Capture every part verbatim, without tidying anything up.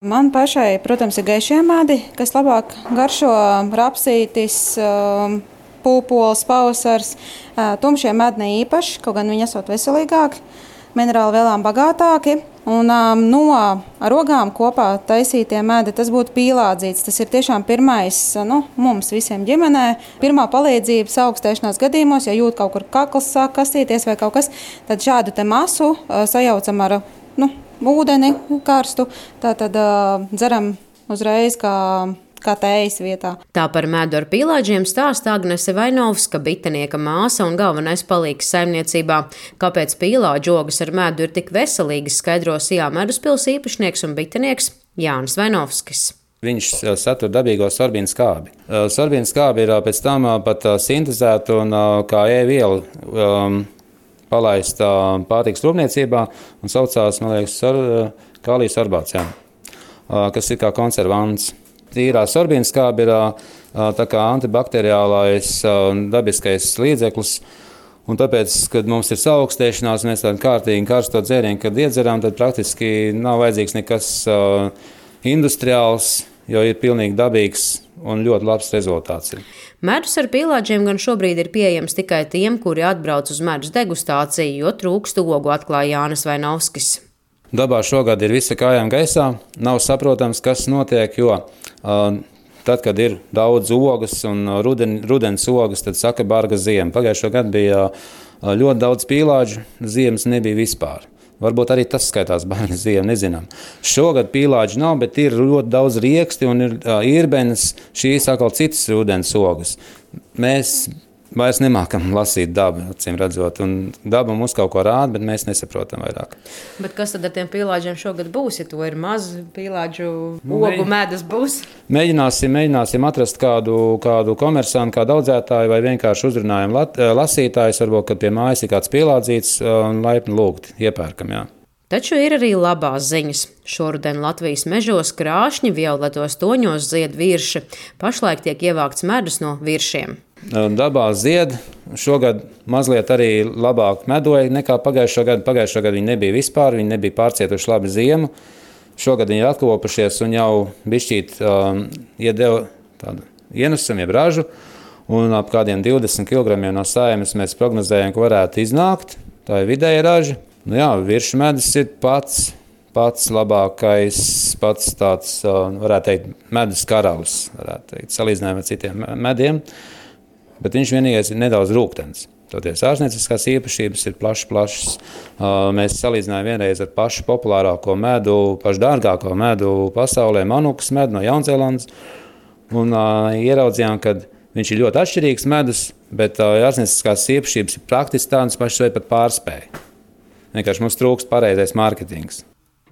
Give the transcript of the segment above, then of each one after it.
Man pašai, protams, ir gaišie medi, kas labāk garšo, rapsītis, pūpoles, pavasars. Tumšie medi ne īpaši, kaut gan viņi esot veselīgāki, minerāli vielām bagātāki. Un no ar ogām kopā taisītie medi, tas būtu pīlādzīts. Tas ir tiešām pirmais, nu, mums visiem ģimenē. Pirmā palīdzība augstēšanās gadījumos, ja jūt kaut kur kakls sāk kastīties vai kaut kas, tad šādu te masu sajaucam ar, nu, ūdeni karstu, tātad uh, dzeram uzreiz kā, kā tējas vietā. Tā par medu ar pīlādžiem stāsta Agnese Vainovska, bitenieka māsa un galvenais palīgs saimniecībā. Kāpēc pīlādžu ogas ar medu ir tik veselīgas, skaidro Sijā Meduspils īpašnieks un bitenieks Jānis Vainovskis. Viņš satur dabīgo sorbīnu skābi. Sorbīnu skābi ir pēc tam pat sintezēta un kā e-viela um, palaista pārtikas rūpniecībā un saucās, man liekas, kālija sorbāts, jā, kas ir kā konservants. Tīrā sorbīna skābe ir tā kā antibakteriālais dabiskais līdzeklis, un tāpēc, kad mums ir saaugstēšanās, mēs tādu kārtīgi karsto dzērienu, kad iedzeram, tad praktiski nav vajadzīgs nekas industriāls, jo ir pilnīgi dabīgs un ļoti labs rezultāts. Medus ar pīlādžiem gan šobrīd ir pieejams tikai tiem, kuri atbrauc uz medus degustāciju, jo trūkst ogu, atklāja Jānis Vainovskis. Dabā šogad ir visa kājām gaisā, nav saprotams, kas notiek, jo uh, tad, kad ir daudz ogas un ruden, rudens ogas, tad saka barga ziema. Pagājušo gadu bija uh, ļoti daudz pīlādžu, ziemas nebija vispār. Varbūt arī tas skaitās barga ziema, nezinām. Šogad pīlādži nav, bet ir ļoti daudz rieksti un ir uh, irbenes, šīs atkal citas rudens ogas. Mēs vairs nemākam lasīt dabu, acīm redzot, un daba mums kaut ko rāda, bet mēs nesaprotam vairāk. Bet kas tad ar tiem pīlādžiem šogad būs, ja to ir maz pīlādžu ogu medus būs? Mēģināsim, mēģināsim atrast kādu, kādu komersantu, kādu audzētāju vai vienkārši uzrunājam lasītājus, varbūt, kad pie mājas ir kāds pīlādzīts un laipni lūgt, iepērkam, jā. Taču ir arī labās ziņas. Šoruden Latvijas mežos krāšņi violetos toņos zied virši. Pašlaik tiek ievākts medus no viršiem. Dabā zied. Šogad mazliet arī labāk medoja nekā pagājušo gadu. Pagājušo gadu viņi nebija vispār, viņi nebija pārcietuši labi ziemu. Šogad viņi ir atkopušies un jau bišķīt um, iedeva tādu ienesumu, jeb ražu. Un ap kādiem divdesmit kilogramiem no saimes mēs prognozējam, ka varētu iznākt. Tā ir vidēja raža. Nu jā, viršu medus ir pats, pats labākais, pats tāds, varētu teikt, medus karalis, varētu teikt, salīdzinājumā ar citiem mediem, bet viņš vienīgais ir nedaudz rūgtens. Toties ārstnieciskās īpašības ir plašas, plašas. Mēs salīdzinājām vienreiz ar pašu populārāko medu, pašu dārgāko medu pasaulē, manukas medu no Jaunzēlandes, un ieraudzījām, ka viņš ir ļoti atšķirīgs medus, bet ārstnieciskās īpašības ir praktiski tādas pašas vai pat pārspēja. Vienkārši mums trūkst pareizais mārketings.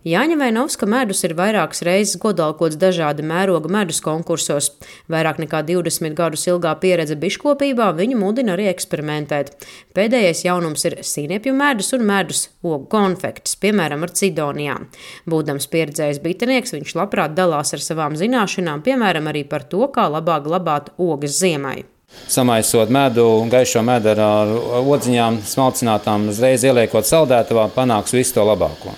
Jāņa Vainovska medus ir vairākas reizes godalkots dažāda mēroga medus konkursos. Vairāk nekā divdesmit gadus ilgā pieredze biškopībā viņu mudina arī eksperimentēt. Pēdējais jaunums ir sīniepju medus un medus ogu konfektis, piemēram, ar cidonijām. Būdams pieredzējis bitenieks, viņš labprāt dalās ar savām zināšanām, piemēram, arī par to, kā labāk glabāt ogas ziemai. Samaisot medu, gaišo medu ar odziņām, smalcinātām, uzreiz ieliekot saldētavā, panāks visu to labāko.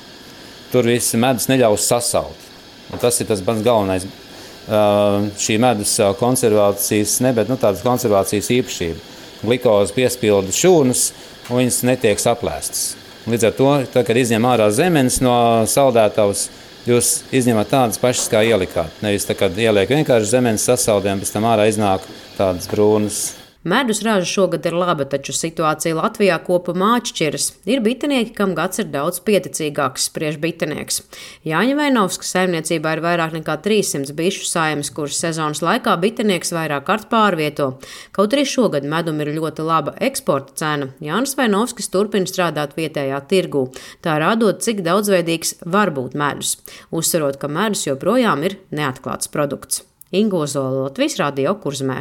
Tur viss medus neļaus sasalt. Un tas ir tas pats galvenais. Šī medus konservācijas, ne, bet nu, tādas konservācijas īpašība. Glikozi piespilda šūnas, un viņas netiek saplēstas. Līdz ar to, tad, kad izņem ārā zemenes no saldētavas, jūs izņemat tādas pašas, kā ielikāt. Nevis tā, kad ieliek vienkārši zemenes sasaldiem, pēc tam ārā iznāk tādas brūnas. Medus raža šogad ir laba, taču situācija Latvijā kopumā atšķiras. Ir bitenieki, kam gads ir daudz pieticīgāks, spriež bitenieks. Jāņa Vainovskas saimniecībā ir vairāk nekā trīssimts bišu saimes, kuras sezonas laikā bitenieks vairāk kārt pārvieto. Kaut arī šogad medum ir ļoti laba eksporta cena. Jānis Vainovskis turpina strādāt vietējā tirgū, tā rādot, cik daudzveidīgs var būt medus. Uzsverot, ka medus joprojām ir neatklāts produkts. Inga Ozola, Latvijas Radio, Kurzemē.